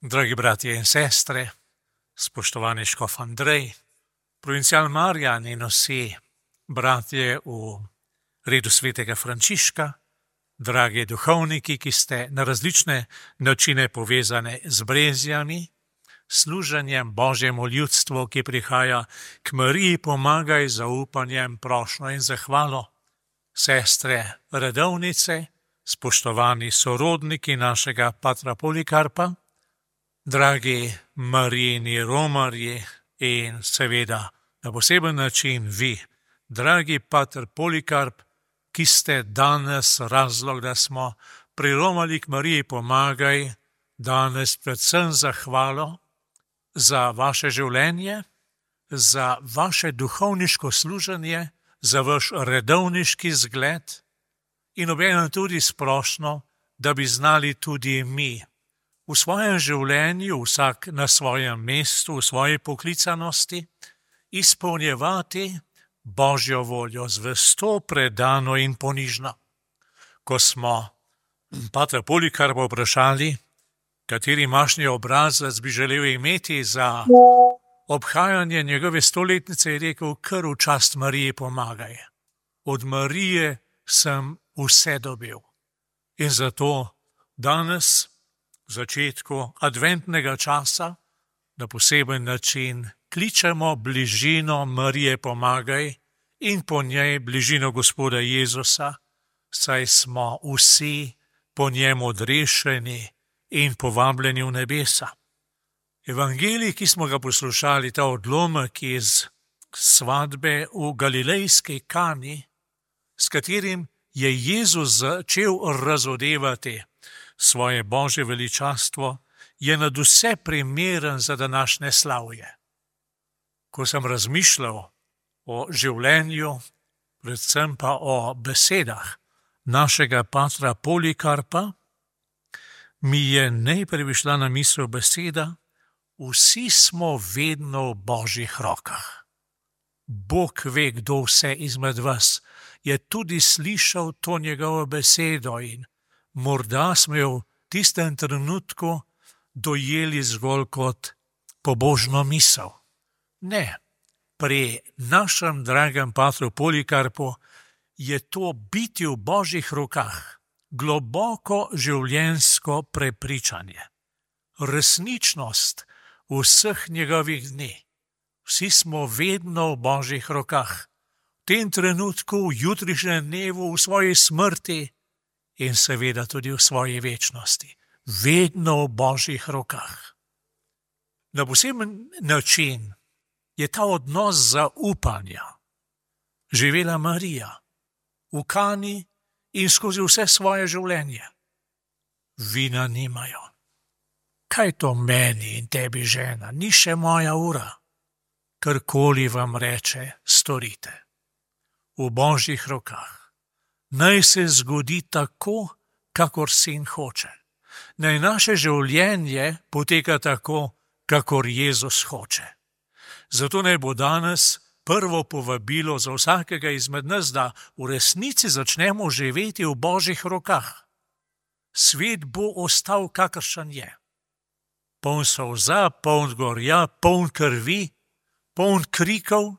Dragi bratje in sestre, spoštovani škof Andrej, provincial Marjan in vsi bratje v redu svetega Frančiška, dragi duhovniki, ki ste na različne načine povezane z brezjami, služenjem Božjemu ljudstvu, ki prihaja k Mariji, pomagaj z zaupanjem, prošnjo in zahvalo. Sestre redovnice, spoštovani sorodniki našega patra Polikarpa, dragi Marijini romarji in seveda na poseben način vi, dragi pater Polikarp, ki ste danes razlog, da smo priromali k Mariji, pomagaj, danes predvsem zahvalo za vaše življenje, za vaše duhovniško služenje, za vaš redovniški zgled in obenem tudi splošno, da bi znali tudi mi v svojem življenju, vsak na svojem mestu, v svoji poklicanosti, izpolnjevati Božjo voljo zvesto, predano in ponižno. Ko smo patra Polikarpa vprašali, kateri mašni obrazec bi želel imeti za obhajanje njegove stoletnice, je rekel, kar v čast Mariji pomagaj. Od Marije sem vse dobil. In zato danes, v začetku adventnega časa, na poseben način kličemo bližino Marije pomagaj in po njej bližino Gospoda Jezusa, saj smo vsi po njem odrešeni in povabljeni v nebesa. Evangelij, ki smo ga poslušali, ta odlomek iz svatbe v galilejski Kani, s katerim je Jezus začel razodevati svoje Božje veličastvo, je nadvse primeren za današnje slavje. Ko sem razmišljal o življenju, predvsem pa o besedah našega patra Polikarpa, mi je najprej prišla na misel beseda: vsi smo vedno v Božjih rokah. Bog ve, kdo vse izmed vas je tudi slišal to njegovo besedo in morda smo jo v tistem trenutku dojeli zgolj kot pobožno misel. Ne, pri našem dragem patru Polikarpu je to biti v Božjih rokah globoko življenjsko prepričanje, resničnost vseh njegovih dni. Vsi smo vedno v Božjih rokah, v tem trenutku, v jutrišnjem dnevu, v svoji smrti in seveda tudi v svoji večnosti. Vedno v Božjih rokah. Na poseben način je ta odnos zaupanja živela Marija v Kani in skozi vse svoje življenje. Vina nimajo. Kaj to meni in tebi, žena, ni še moja ura? Karkoli vam reče, storite. V Božjih rokah. Naj se zgodi tako, kakor Sin hoče. Naj naše življenje poteka tako, kakor Jezus hoče. Zato naj bo danes prvo povabilo za vsakega izmed nas, da v resnici začnemo živeti v Božjih rokah. Svet bo ostal, kakršen je. Poln solza, poln gorja, poln krvi, poln krikov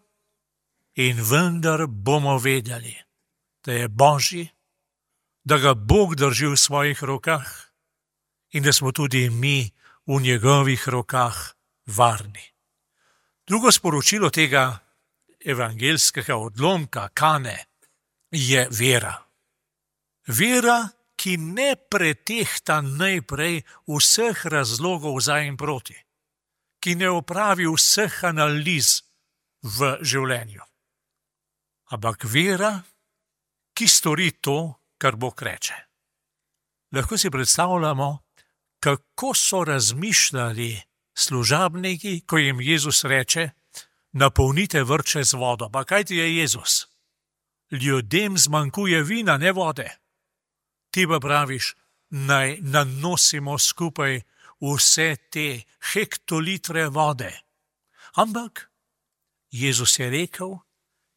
in vendar bomo vedeli, da je Božji, da ga Bog drži v svojih rokah in da smo tudi mi v njegovih rokah varni. Drugo sporočilo tega evangelskega odlomka Kane je vera. Vera, ki ne pretehta najprej vseh razlogov za in proti, ki ne opravi vseh analiz v življenju. Ampak vera, ki stori to, kar Bog reče. Lahko si predstavljamo, kako so razmišljali služabniki, ko jim Jezus reče: napolnite vrče z vodo. Pa kaj ti je Jezus? Ljudem zmanjkuje vina, ne vode. Ti pa praviš, naj nanosimo skupaj vse te hektolitre vode. Ampak Jezus je rekel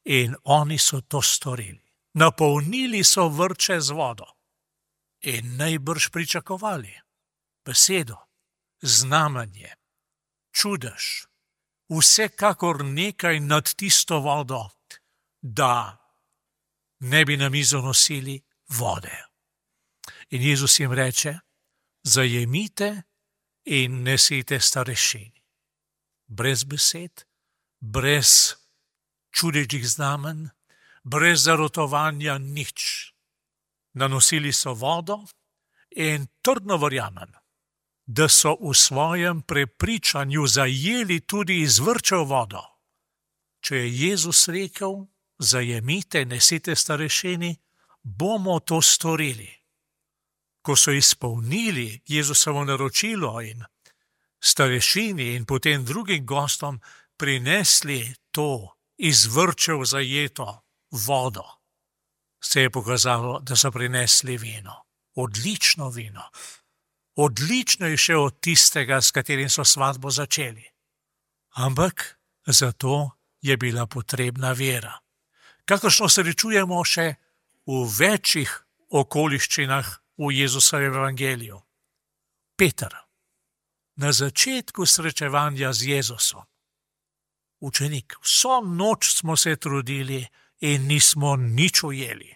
in oni so to storili. Napolnili so vrče z vodo in najbrž pričakovali besedo, znamenje, čudež, vsekakor nekaj nad tisto vodo, da ne bi na mizo nosili vode. In Jezus jim reče, zajemite in nesite starešini. Brez besed, brez čudežnih znamen, brez zarotovanja nič. Nanosili so vodo in trdno verjamem, da so v svojem prepričanju zajeli tudi izvrčev vodo. Če je Jezus rekel, zajemite, nesite starešini, bomo to storili. Ko so izpolnili Jezusovo naročilo in starešini in potem drugim gostom prinesli to izvrčev zajeto vodo, se je pokazalo, da so prinesli vino. Odlično vino. Odličnejše od tistega, s katerim so svatbo začeli. Ampak zato je bila potrebna vera. Kakršno srečujemo še v večjih okoliščinah v Jezusovem evangeliju. Peter, na začetku srečevanja z Jezusom, učenik, vso noč smo se trudili in nismo nič ujeli.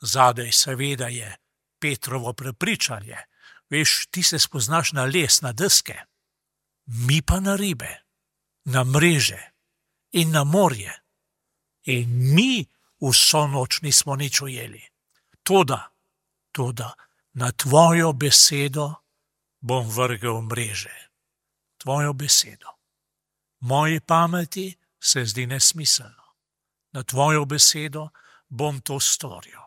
Zadaj seveda je Petrovo prepričanje. Veš, ti se spoznaš na les, na deske, mi pa na ribe, na mreže in na morje. In mi vso noč nismo nič ujeli. Toda, na tvojo besedo bom vrgel mreže. Tvojo besedo. Moji pameti se zdi nesmiselno. Na tvojo besedo bom to storil.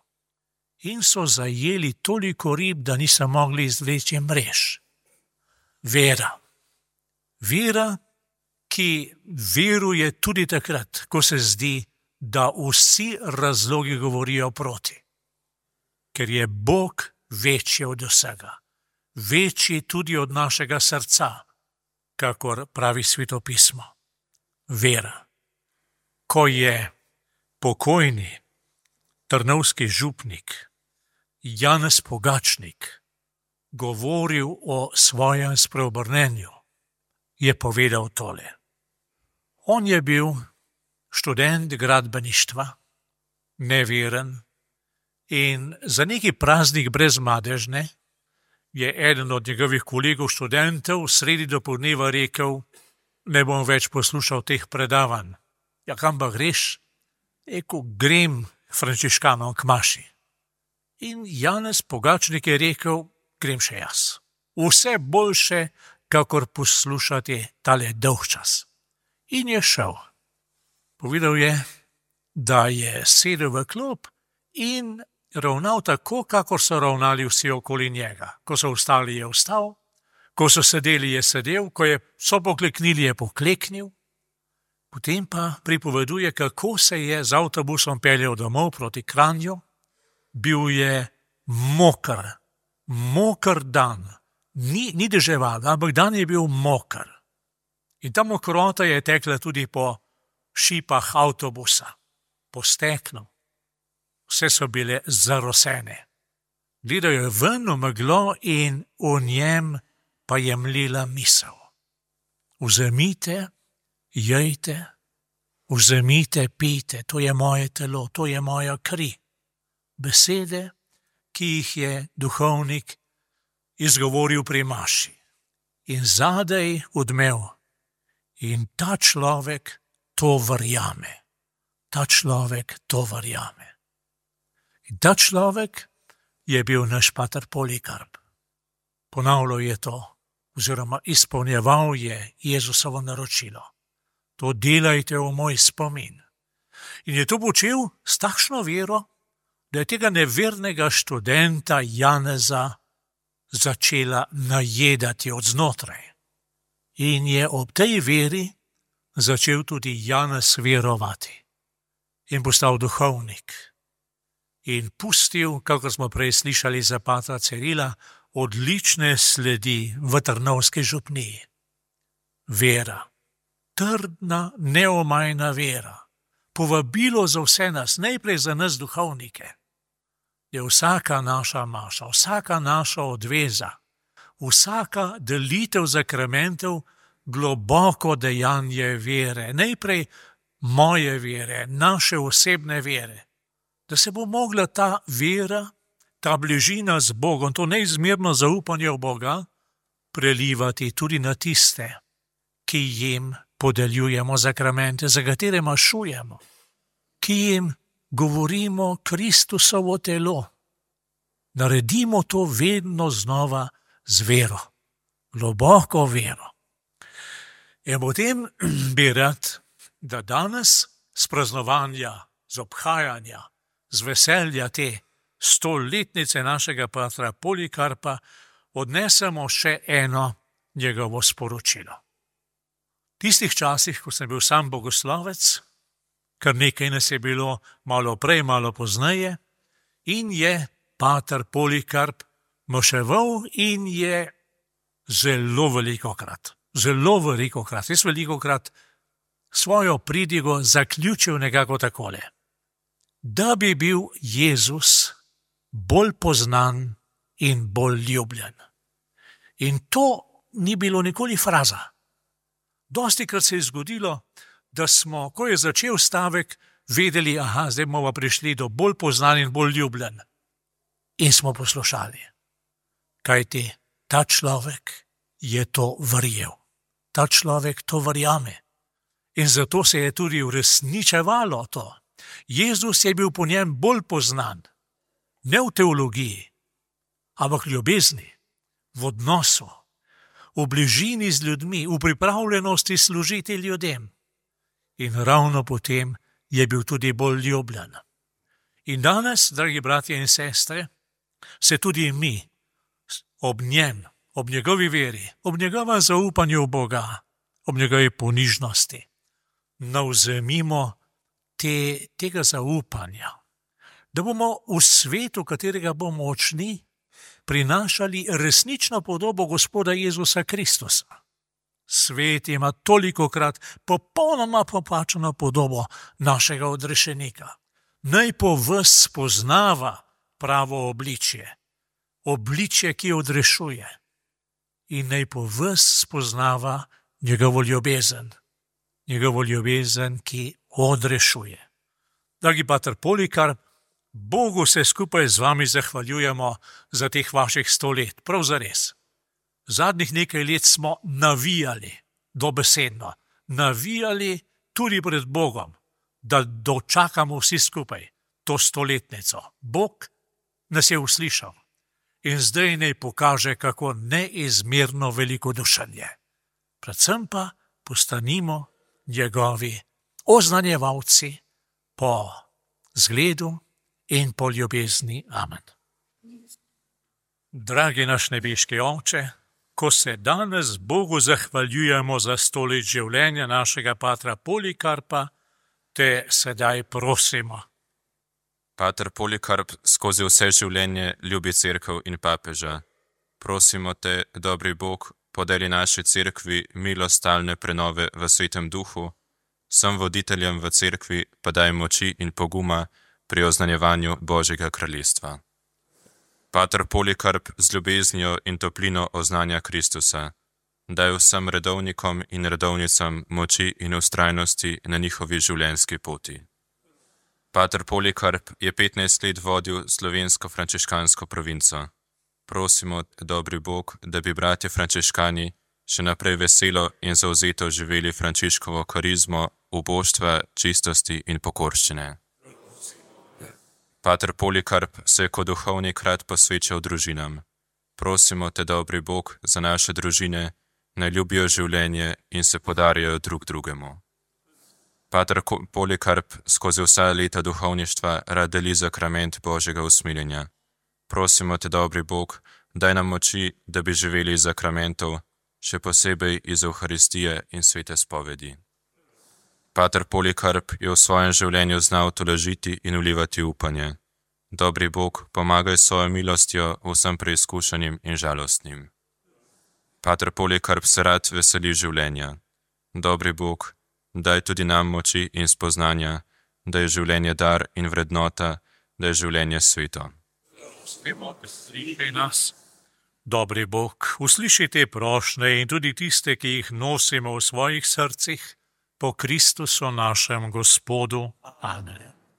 In so zajeli toliko rib, da niso mogli izvleči mrež. Vera. Vera, ki veruje tudi takrat, ko se zdi, da vsi razlogi govorijo proti. Ker je Bog večji od vsega. Večji tudi od našega srca, kakor pravi Sveto pismo. Vera. Ko je pokojni trnovski župnik Janez Pogačnik govoril o svojem spreobrnenju, je povedal tole. On je bil študent gradbeništva, neveren, in za neki praznik brez madežne je eden od njegovih kolegov študentov sredi dopoldneva rekel, ne bom več poslušal teh predavanj. Ja, kam pa greš? Rekel, grem frančiškanom k maši. In Janez Pogačnik je rekel, grem še jaz. Vse boljše, kakor poslušati tale dolg čas. In je šel. Povedal je, da je sedel v klop in ravnal tako, kakor so ravnali vsi okoli njega. Ko so vstali, je vstal, ko so sedeli, je sedel, ko so pokleknili, je pokleknil. Potem pa pripoveduje, kako se je z avtobusom peljal domov proti Kranju. Bil je moker dan. Ni deževal, ampak dan je bil moker. In ta mokrota je tekla tudi po šipah avtobusa, po steklu. Vse so bile zarosene. Gledal je ven v meglo in v njem pa je mlila misel. Vzemite, jejte, vzemite, pijte, to je moje telo, to je moja kri. Besede, ki jih je duhovnik izgovoril pri maši. In zadaj odmev. In ta človek to verjame. Ta človek to verjame. In ta človek je bil naš pater Polikarp. Ponavljal je to, oziroma izpolnjeval je Jezusovo naročilo. To delajte v moj spomin. In je to počel s takšno vero, da je tega nevernega študenta Janeza začela najedati od znotraj. In je ob tej veri začel tudi Janez verovati. In postal duhovnik. In pustil, kako smo prej slišali za patra Cirila, odlične sledi v Trnovski župniji. Vera. Trdna, neomajna vera. Povabilo za vse nas, najprej za nas duhovnike. Je vsaka naša maša, vsaka naša odveza, vsaka delitev zakramentov globoko dejanje vere. Najprej moje vere, naše osebne vere. Da se bo mogla ta vera, ta bližina z Bogom, to neizmerno zaupanje v Boga, prelivati tudi na tiste, ki jim podeljujemo zakramente, za katere mašujemo, ki jim govorimo Kristusovo telo. Naredimo to vedno znova z vero, globoko vero. In potem bi rad, da danes z praznovanja, z obhajanja, z veselja te 100-letnice našega patra Polikarpa odnesemo še eno njegovo sporočilo. V tistih časih, ko sem bil sam bogoslovec, kar nekaj nas je bilo malo prej, malo pozneje, in je pater Polikarp moševal in je zelo velikokrat, jaz velikokrat svojo pridigo zaključil nekako takole. Da bi bil Jezus bolj poznan in bolj ljubljen. In to ni bilo nikoli fraza. Dostikrat se je zgodilo, da smo, ko je začel stavek, vedeli, zdaj bomo prišli do bolj poznan in bolj ljubljen. In smo poslušali. Kajti ta človek je to verjel. Ta človek to verjame. In zato se je tudi uresničevalo to. Jezus je bil po njem bolj poznan. Ne v teologiji, ampak v ljubezni, v odnosu, v bližini z ljudmi, v pripravljenosti služiti ljudem. In ravno potem je bil tudi bolj ljubljen. In danes, dragi bratje in sestre, se tudi mi ob njem, ob njegovi veri, ob njegovem zaupanju v Boga, ob njegovi ponižnosti, navzemimo tega zaupanja, da bomo v svetu, katerega bomo močni, prinašali resnično podobo Gospoda Jezusa Kristusa. Svet ima tolikokrat popolnoma popačeno podobo našega odrešenika. Naj po vas spoznava pravo obličje, obličje, ki odrešuje, in naj po vas spoznava njegovo ljubezen, ki odrešuje. Dragi pater Polikarp, Bogu se skupaj z vami zahvaljujemo za teh vaših 100 let, prav zares. Zadnjih nekaj let smo navijali, dobesedno, navijali tudi pred Bogom, da dočakamo vsi skupaj to 100-letnico. Bog nas je uslišal in zdaj naj pokaže, kako neizmerno velikodušen je. Predvsem pa postanimo njegovi oznanjevalci po zgledu in po ljubezni. Amen. Dragi naš nebeški Oče, ko se danes Bogu zahvaljujemo za 100 let življenja našega patra Polikarpa, te sedaj prosimo. Pater Polikarp skozi vse življenje ljubi cerkev in papeža. Prosimo te, dobri Bog, podeli naši cerkvi milost stalne prenove v Svetem Duhu, vsem voditeljem v cerkvi pa daj moči in poguma pri oznanjevanju Božjega kraljestva. Pater Polikarp z ljubeznijo in toplino oznanja Kristusa. Daj vsem redovnikom in redovnicam moči in vztrajnosti na njihovi življenjski poti. Pater Polikarp je 15 let vodil slovensko frančiškansko provinco. Prosimo, dobri Bog, da bi bratje frančiškani še naprej veselo in zavzeto živeli Frančiškovo karizmo, uboštva, čistosti in pokorščine. Pater Polikarp se je kot duhovnik rad posvečal družinam. Prosimo te, dobri Bog, za naše družine, naj ljubijo življenje in se podarijo drug drugemu. Pater Polikarp skozi vsa leta duhovništva rad deli zakrament Božjega usmiljenja. Prosimo te, dobri Bog, daj nam moči, da bi živeli iz zakramentov, še posebej iz Evharistije in svete spovedi. Pater Polikarp je v svojem življenju znal tolažiti in vlivati upanje. Dobri Bog, pomagaj svojo milostjo vsem preizkušanim in žalostnim. Pater Polikarp se rad veseli življenja. Dobri Bog, daj tudi nam moči in spoznanja, da je življenje dar in vrednota, da je življenje sveto. Dobri Bog, usliši te prošnje in tudi tiste, ki jih nosimo v svojih srcih, po Kristusu našem Gospodu. Amen.